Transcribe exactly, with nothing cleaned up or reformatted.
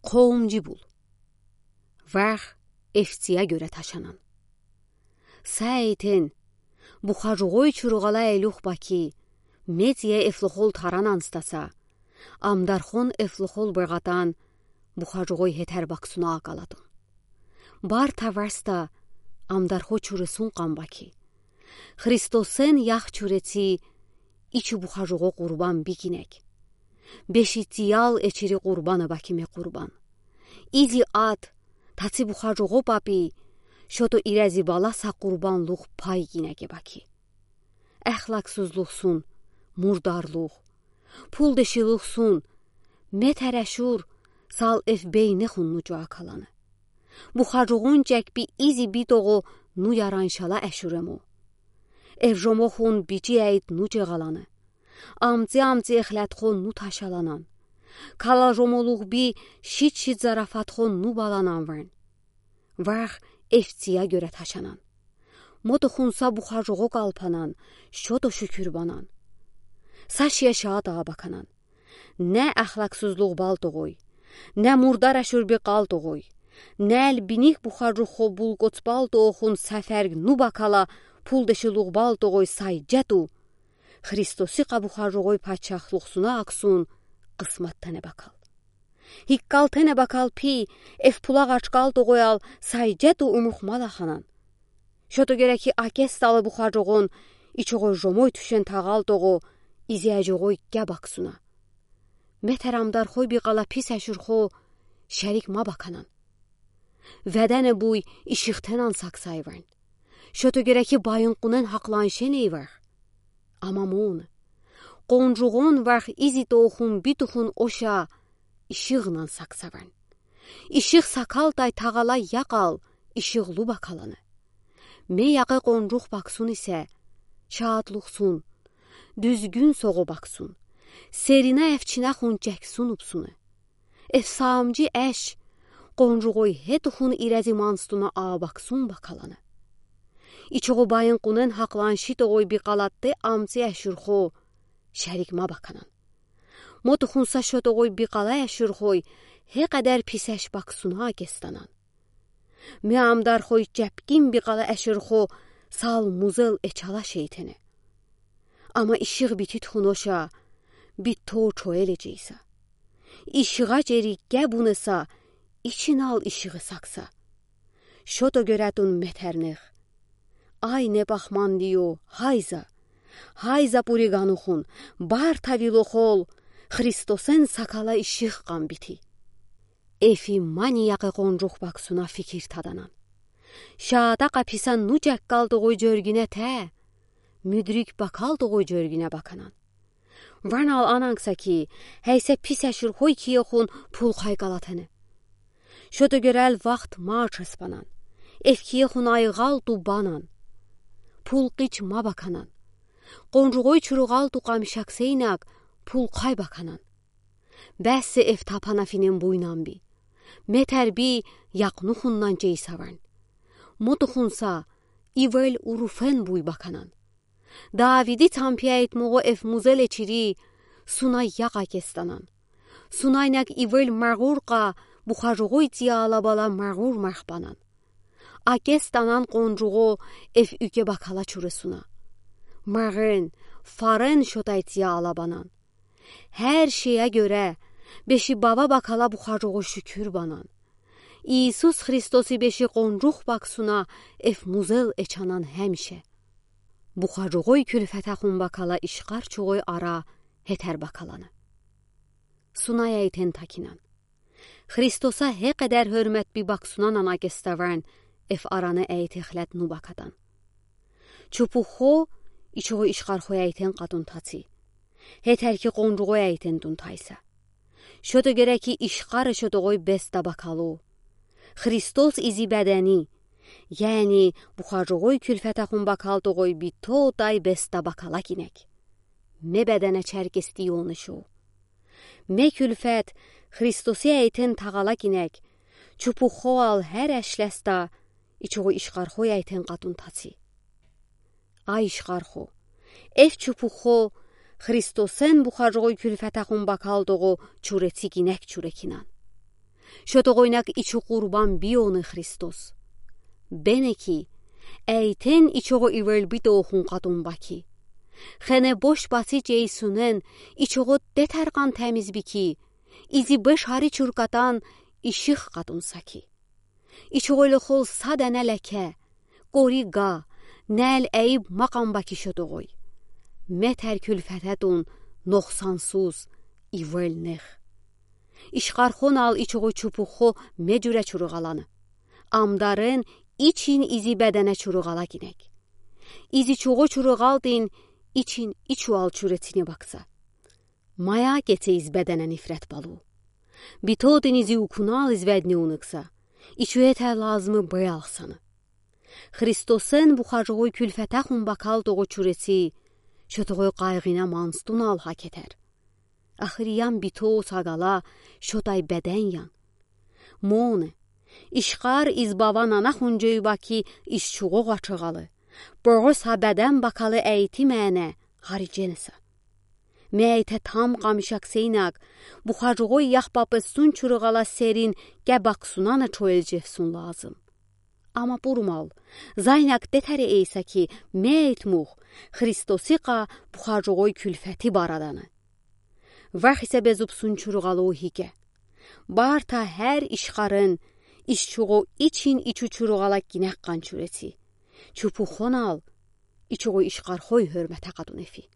Къовумжи бул. Варх эфцияя гёре ташанан. Са эйтен, бухажугъой чуругъала элюх баки, мецея эфлухол таранан стаса, амдархон эфлухол быгъатан, бухажугъой хетер баксуна акалатун. Бар таварста амдархо чуресун къам баки. Христосен ях чуреци ичи бухажугъо къурбан бик инек. Беши циял эчири къурбана баки ме къурбан. Изи ад, таци бухажугъо папи, шото ирези баласа къурбанлух пай инеге баки. Эхлаксузлухсун, мурдарлух, пулдешилухсун, метер эшур, сал эф бейнехун нуҷа акалана. Бухажугъун чекпи изи битогъо ну яран шала эшуремо. Эф жомохун бичи эйт нуҷа галана. Амци-амци эхлетхон ну ташаланан. Кала жомолух би шит-шит зарафатхон ну баланан варн. Варх эфцияя гёре ташанан. Мотохунса бухажугъо калпанан, шото шукур банан. Са шия шаата баканан. Не ахлаксузлух балтогъой, не мурдар эшур би къалтогъой, не эль биник бухажугъо булкоц балтогъохун саферг ну бакала пулдешилух балтогъой сайҷету. Христосикъа бухажугъой пачахлухсуна аксун къысмат тене бакал. Хиккал тене бакал пи, эф пула гъачкалтогъоял сайҷету умух малаханан. Шото гереки акестала бухажугъон, ичугъо жомой тюшен тагъалтогъо, изяжугъой кеб аксуна. Метер амдархой би къала пис эшурхо шерик ма баканан. Ведене буй ишихтенан саксай варн. Шото гереки байын къунен хакълан шеней варх. Ама мун. Къонжугъон варх изи тоохун битухун оша ишигънан сакса варн. Иших сакалтай тагъала якъал ишигълу бакалана. Ме якъе къонжух баксун исе, шаатлухсун, дуьзгуьн соғо баксун, серина эфчинахун чексун упсуна. Эф саамжи эш, къонжугъой хетухун ирези манстуна аа баксун бакалана. Ичугъо байын къунен хакълан шитогъой би къалатте амци эшурхо шерик ма баканан. Мотухунса шотогъой би къала эшурхой, хе къедер пис эш баксуна акестанан. Ме амдархой чепкин би къала эшурхо сал музел эчала шейтене. Ама ишигъ бититхун оша, битто чоэле чейса. Ишигъа чери кебунеса, ичинал ишигъи сакса. Шото гёретун метернех. Ай, не пахмандио, хайза. Хайза пури ганухун, бар тавилохол, Христосен сакала ишигъ къам бити. Эфи мани якъе къонжух баксуна фикир таданан. Шаата къаписан ну чеккалтогъой жёргине те, мюдрик бакалтогъой жёргине баканан. Ванал ананкса ки, хейсе пис эшурхой киехун пул хайкалатене. Шото гёрел вахт ма чеспанан. Эф киехун айгъалту банан. Пул къич ма баканан. Къонжугъой чуругъалту къамишаксейнак пул хай баканан. Бессе эф тапана финен буйнан би. Метер би якънухуннан чейса варн. Мотухунса ивел уруфен буй баканан. Давиди тампияйтмугъо эф музел эчири, сунай якъ акестанан. Сунайнак ивел маргъур къа, бухажугъой цияла бала маргъур марх банан. Акестанан къонжугъо эф уьке бакала чуресуна. Марен, фарен шотай цияла банан. Хер шея гёре, беши баба бакала бухажугъо шуькур банан. Иисус Христоси беши къонжух баксуна эф музел эчанан хемише. Бухажугъой кюльфетехун бакала ишкъар чугъой ара хетер бакалана. Сунай эйтен такинан. Христоса хе къедер хёрмет би баксунанан акеставен эф арана эйте хлет ну бакатан. Чупухо ичугъо ишкъархо эйтен къатун таци. Хетер ки къонжугъо эйтен тун тайса. Шото гереки ишкъаре шотогъой беста бакалу. Христос изи бедени, яни бухажугъой кюльфетехун бакалтогъой битто тай беста бакала кинек. Ме бедене черкестионы шу. Ме кюльфет Христосе эйтен тагъала кинек, чупухо ал хер эшлеста, ичугъо ишкъархо эйтен къатун таци. Ай ишкъархо, эф чупухо Христосен бухажугъой кюльфетехун бакалтогъо чуреци кинек чурекинан. Шотоғойнак ичу Къурбан бийони Христос. Бене ки, эйтен ичоғо иверлбитоохун катун ба ки. Хене бош баси чейсунен ичоғо детер кан темиз би ки, изи беш ари чуркатан иших катун са ки. Ичоғойлы хол са дене леке, кори га, нел эйиб макан ба ки шотоғой. Метер кюльфететун ноксансуз ивел нех. Ишкархон ал ичоғо чупухо ме журе чуруғаланы. Амдарен ичин изи бедене чуруғала гинек. Изи чуғо чуруғалтин ичин ичу ал чурецини бакса. Мая кецейиз бедене нифрет балу. Битотин изи укунал изведни уныкса. Ичуетер лазмы беялхсаны. Христосен бухажоғой кюльфетахун бакал тоғо чуреци, шотоғой къайғина манстун ал хакетер. Ахыриян бито сагала шотай беден ян. Моны, ишкар из баван анахун жой ба ки из чуғоға чыгалы. Боғо са беден бакалы эйти мене, хари женеса. Мейте там камшак сейнак, бухажоғой яхпапы сун чурғала серин ке баксунаны чоел жефсун лазым. Ама пурмал, зайнак детери эйса ки мейт мух, Христосиқа бухажоғой кюльфети бараданы. Вахисе безубсун чурғалу хике. Барта хер ишкарын, ишчуғо ичин ичу чурғала гинек қан чуреци. Чупухон ал, ичуғо ишкархой хөрмета катун эфи.